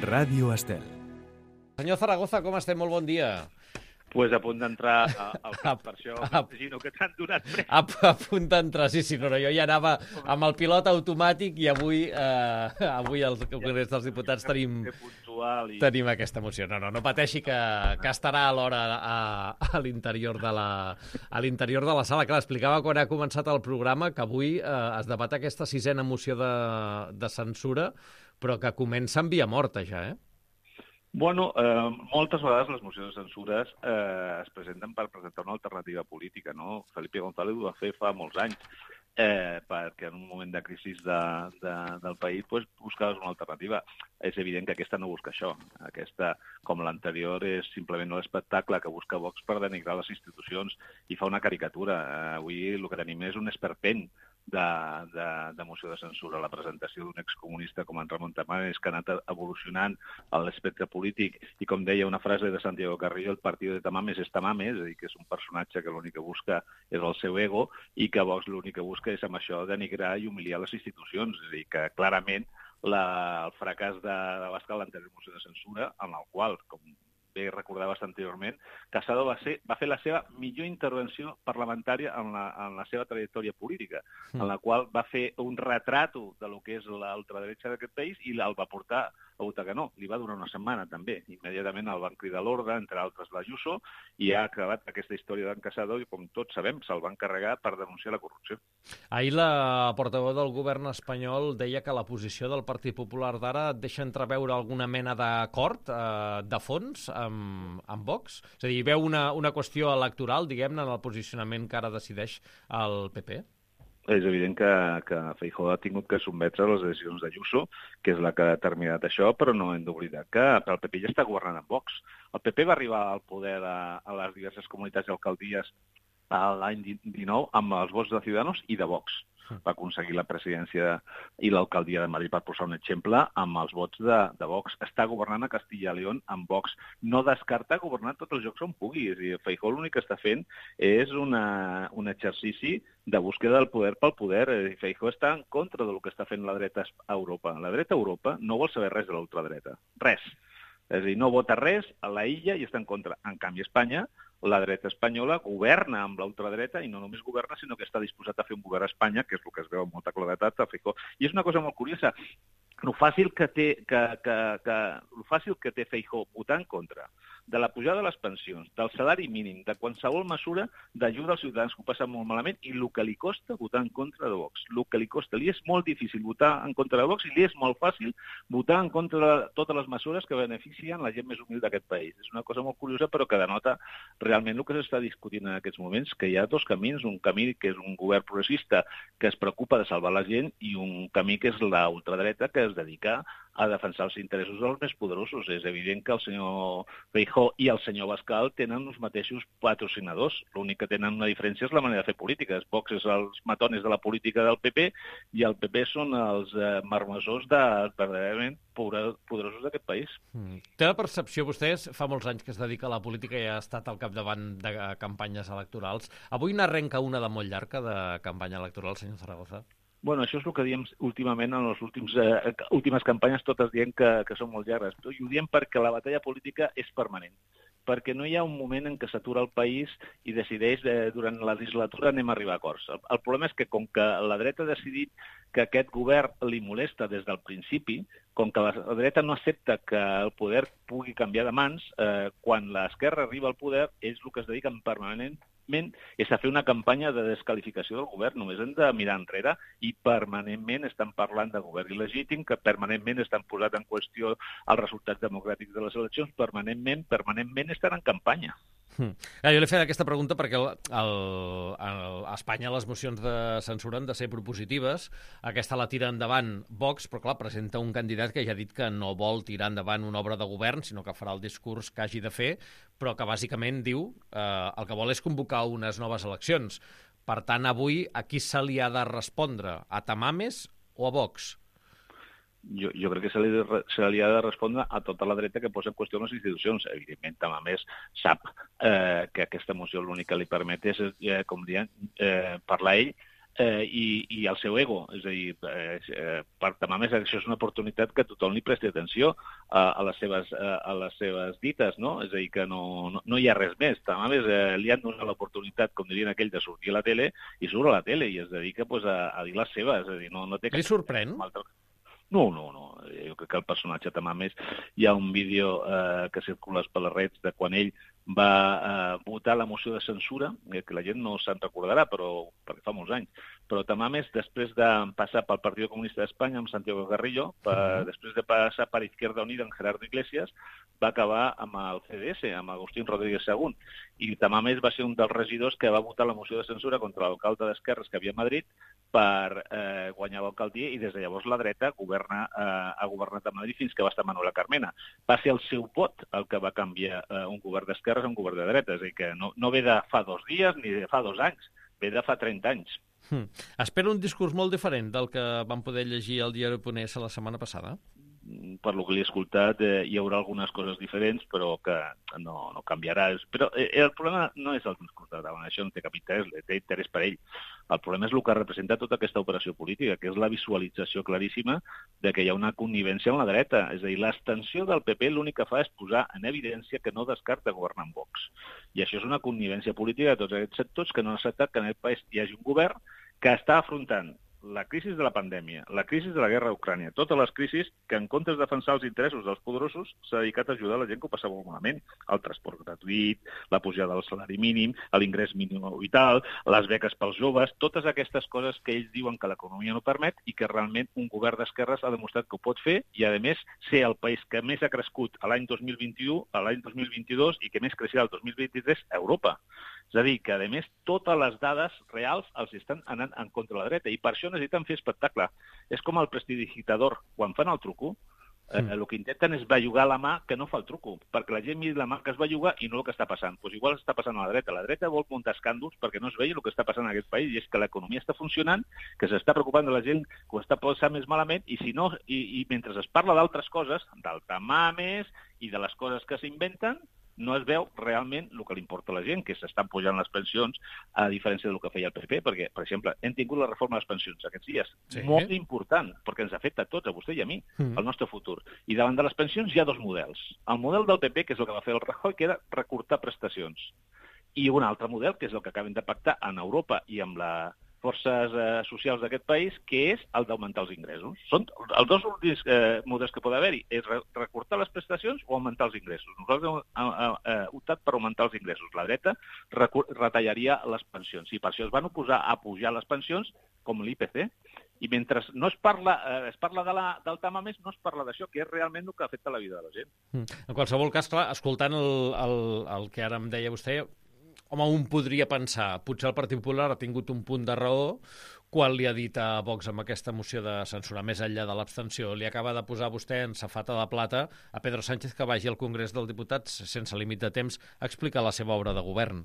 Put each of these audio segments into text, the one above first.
Ràdio Estel. Senyor Zaragoza, com estem? Molt bon dia. Pues a punt d'entrar al cap, per això m'imagino que t'han donat pressa. A punt d'entrar, sí, no, jo ja anava amb el pilot automàtic i avui al Congrés dels Diputats tenim aquesta moció. No pateixi que estarà a l'hora a l'interior de la sala. Clar, explicava quan ha començat el programa que avui es debat aquesta sisena moció de censura, però que comença en via morta ja, Bueno, moltes vegades les mocions de censures es presenten per presentar una alternativa política, no? Felipe González ho va fer fa molts anys, perquè en un moment de crisi del país buscaves una alternativa. És evident que aquesta no busca això. Aquesta, com l'anterior, és simplement un espectacle que busca Vox per denigrar les institucions i fa una caricatura. Avui el que tenim és un esperpent de moció de censura. La presentació d'un excomunista com en Ramon Tamames, que ha anat evolucionant a l'espectre polític, i com deia una frase de Santiago Carrillo, el partit de Tamames és Tamames, és a dir, que és un personatge que l'únic que busca és el seu ego i que Vox l'únic que busca és amb això denigrar i humiliar les institucions. És a dir, que clarament el fracàs de l'Abascal, l'anterior moció de censura, en el qual, com bé recordaves anteriorment, Casado va fer la seva millor intervenció parlamentària en la seva trajectòria política, en la qual va fer un retrato de lo que és l'ultradretxa d'aquest país i el va portar a votar que no. Li va durar una setmana, també. Immediatament el van cridar a l'ordre, entre altres l'Ayuso, i ha acabat aquesta història d'en Casado i, com tots sabem, se'l van carregar per denunciar la corrupció. Ahir la portaveu del govern espanyol deia que la posició del Partit Popular d'ara deixa entreveure alguna mena d'acord de fons amb Vox? És a dir, veu una qüestió electoral, diguem-ne, en el posicionament que ara decideix el PP? És evident que Feijóo ha tingut que sotmetre les decisions d'Ayuso, que és la que ha determinat això, però no hem d'oblidar que el PP ja està governant amb Vox. El PP va arribar al poder a les diverses comunitats i alcaldies l'any 19 amb els vots de Ciudadanos i de Vox. Va aconseguir la presidència i l'alcaldia de Madrid, per posar un exemple, amb els vots de Vox. Està governant a Castilla y León amb Vox. No descarta governar tots els llocs on pugui. És a dir, Feijóo l'únic que està fent és un exercici de búsqueda del poder pel poder. Feijóo està en contra del que està fent la dreta a Europa. La dreta a Europa no vol saber res de l'ultradreta. Res. És a dir, no vota res a la illa i està en contra. En canvi, Espanya, la dreta espanyola governa amb l'ultradreta i no només governa, sinó que està disposat a fer un govern a Espanya, que és el que es veu amb molta claredat a Feijóo. I és una cosa molt curiosa. Lo fàcil que té Feijóo votar en contra de la pujada de les pensions, del salari mínim, de qualsevol mesura d'ajuda als ciutadans que ho passen molt malament, i el que li costa votar en contra de Vox. El que li costa. Li és molt difícil votar en contra de Vox i li és molt fàcil votar en contra de totes les mesures que beneficien la gent més humil d'aquest país. És una cosa molt curiosa, però que denota realment el que s'està discutint en aquests moments, que hi ha dos camins, un camí que és un govern progressista que es preocupa de salvar la gent i un camí que és la ultradreta que es dedica a defensar els interessos dels més poderosos. És evident que el senyor Feijóo i el senyor Abascal tenen els mateixos patrocinadors. L'únic que tenen una diferència és la manera de fer polítiques. Vox és els matones de la política del PP i el PP són els marmessors verdaderament poderosos d'aquest país. Té la percepció, vostès, fa molts anys que es dedica a la política i ha estat al capdavant de campanyes electorals. Avui n'arrenca una de molt llarga de campanya electoral, senyor Zaragoza? Bueno, això és el que diem últimament en les últimes campanyes, totes dient que són molt llargues. I ho diem perquè la batalla política és permanent, perquè no hi ha un moment en què s'atura el país i decideix durant la legislatura anem a arribar a acords. El problema és que com que la dreta ha decidit que aquest govern li molesta des del principi, com que la dreta no accepta que el poder pugui canviar de mans, quan l'esquerra arriba al poder és el que es dediquen permanentment és a fer una campanya de desqualificació del govern. Només hem de mirar enrere i permanentment estan parlant de govern il·legítim, que permanentment estan posant en qüestió els resultats democràtics de les eleccions, permanentment estan en campanya. Jo li he fet aquesta pregunta perquè a Espanya les mocions de censura han de ser propositives. Aquesta la tira endavant Vox, però clar, presenta un candidat que ja ha dit que no vol tirar endavant una obra de govern, sinó que farà el discurs que hagi de fer, però que bàsicament diu el que vol és convocar unes noves eleccions. Per tant, avui a qui se li ha de respondre? A Tamames o a Vox? Jo crec que se li ha de respondre a tota la dreta que posa en qüestió les institucions. Evidentment, Tamames sap que aquesta moció l'únic que li permet és, com diem, parlar ell i el seu ego. És a dir, per Tamames això és una oportunitat que tothom li presti atenció a les seves dites, no? És a dir, que no hi ha res més. Tamames li han donat l'oportunitat, com dirien aquell, de sortir a la tele, i surt a la tele i es dedica a dir les seves. És a dir, no té... Li sorprèn? No. Jo crec que el personatge Tamames, hi ha un vídeo que circula per les redes de quan ell va votar la moció de censura, que la gent no se'n recordarà, perquè fa molts anys, però Tamames, després de passar pel Partit Comunista d'Espanya amb Santiago Carrillo, després de passar per Izquierda Unida amb Gerardo Iglesias, va acabar amb el CDS, amb Agustín Rodríguez Según, i Tamames va ser un dels regidors que va votar la moció de censura contra l'alcalde d'Esquerres que havia a Madrid per guanyar l'alcaldia, i des de llavors la dreta ha governat a Madrid fins que va estar Manuela Carmena. Va ser el seu vot el que va canviar un govern d'esquerres a un govern de dreta, és a dir, que no ve de fa 2 dies ni de fa 2 anys, ve de fa 30 anys. Espero un discurs molt diferent del que vam poder llegir al diari Ponès la setmana passada. Per lo que l'he escoltat, hi haurà algunes coses diferents, però que no canviarà. Però el problema no és el discurs de Tamames, això no té cap interès, té interès per ell. El problema és el que representa tota aquesta operació política, que és la visualització claríssima de que hi ha una connivència amb la dreta. És a dir, l'extensió del PP l'únic que fa és posar en evidència que no descarta governar amb Vox. I això és una connivència política de tots aquests sectors que no han acceptat que en aquest país hi hagi un govern que està afrontant la crisi de la pandèmia, la crisi de la guerra a Ucrània, totes les crisis que en comptes de defensar els interessos dels poderosos s'ha dedicat a ajudar la gent que ho passa molt malament. El transport gratuït, la pujada del salari mínim, l'ingrés mínim vital, les beques pels joves, totes aquestes coses que ells diuen que l'economia no permet i que realment un govern d'esquerres ha demostrat que ho pot fer i, a més, ser el país que més ha crescut l'any 2021, l'any 2022 i que més creixerà el 2023 a Europa. És a dir, que, a més, totes les dades reals els estan anant en contra de la dreta i per això necessiten fer espectacle. És com el prestidigitador. Quan fan el truco, el que intenten és bellugar la mà que no fa el truco, perquè la gent miri la mà que es belluga i no el que està passant. Doncs igual està passant a la dreta. La dreta vol muntar escàndols perquè no es vegi el que està passant en aquest país, i és que l'economia està funcionant, que s'està preocupant de la gent que ho està passant més malament, i mentre es parla d'altres coses, del Tamames i de les coses que s'inventen, no es veu realment el que li importa a la gent, que s'estan pujant les pensions, a diferència del que feia el PP, perquè, per exemple, hem tingut la reforma de les pensions aquests dies, molt important, perquè ens afecta a tots, a vostè i a mi, al nostre futur. I davant de les pensions hi ha 2 models. El model del PP, que és el que va fer el Rajoy, que era recortar prestacions. I un altre model, que és el que acaben de pactar en Europa i amb les forces socials d'aquest país, que és el d'augmentar els ingressos. Són els 2 últims models que pot haver-hi, és recortar les prestacions o augmentar els ingressos. Nosaltres hem optat per augmentar els ingressos. La dreta retallaria les pensions, i per això es van oposar a pujar les pensions com l'IPC. I mentre no es parla del Tamames, no es parla d'això, que és realment el que afecta la vida de la gent. En qualsevol cas, clar, escoltant el que ara em deia vostè, home, un podria pensar, potser el Partit Popular ha tingut un punt de raó quan li ha dit a Vox amb aquesta moció de censura, més enllà de l'abstenció. Li acaba de posar vostè en safata de plata a Pedro Sánchez que vagi al Congrés dels Diputats sense límit de temps a explicar la seva obra de govern.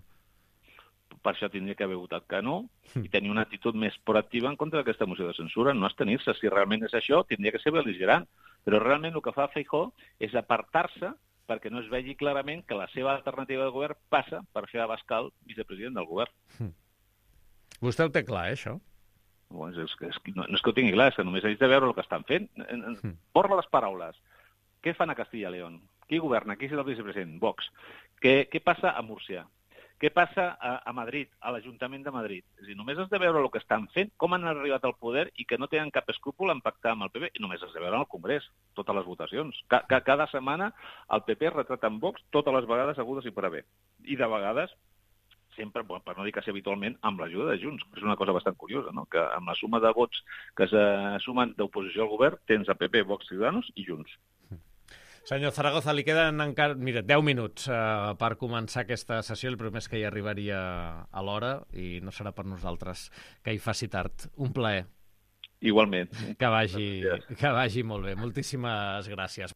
Per això tindria que haver votat que no i tenir una actitud més proactiva en contra d'aquesta moció de censura, no abstenir-se. Si realment és això, tindria que ser bel·ligerant. Però realment el que fa Feijóo és apartar-se perquè no es vegi clarament que la seva alternativa de govern passa per fer Abascal vicepresident del govern. Vostè ho té clar, això? No és que ho tingui clar, és que només haig de veure el que estan fent. Borra les paraules. Què fan a Castilla y León? Qui governa? Qui és el vicepresident? Vox. Què passa a Múrcia? Què passa a Madrid, a l'Ajuntament de Madrid? És a dir, només has de veure el que estan fent, com han arribat al poder i que no tenen cap escrúpol en pactar amb el PP. I només has de veure al Congrés, totes les votacions. Cada setmana el PP retrata en Vox totes les vegades agudes i per haver. I de vegades, sempre, per no dir quasi habitualment, amb l'ajuda de Junts. És una cosa bastant curiosa, no? Que amb la suma de vots que se sumen d'oposició al govern tens a PP, Vox, Ciudadanos i Junts. Senyor Zaragoza, li queden encara 10 minuts per començar aquesta sessió. El primer és que hi arribaria a l'hora i no serà per nosaltres que hi faci tard. Un plaer. Igualment. Que vagi molt bé. Moltíssimes gràcies.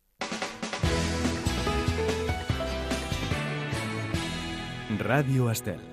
Ràdio Estel.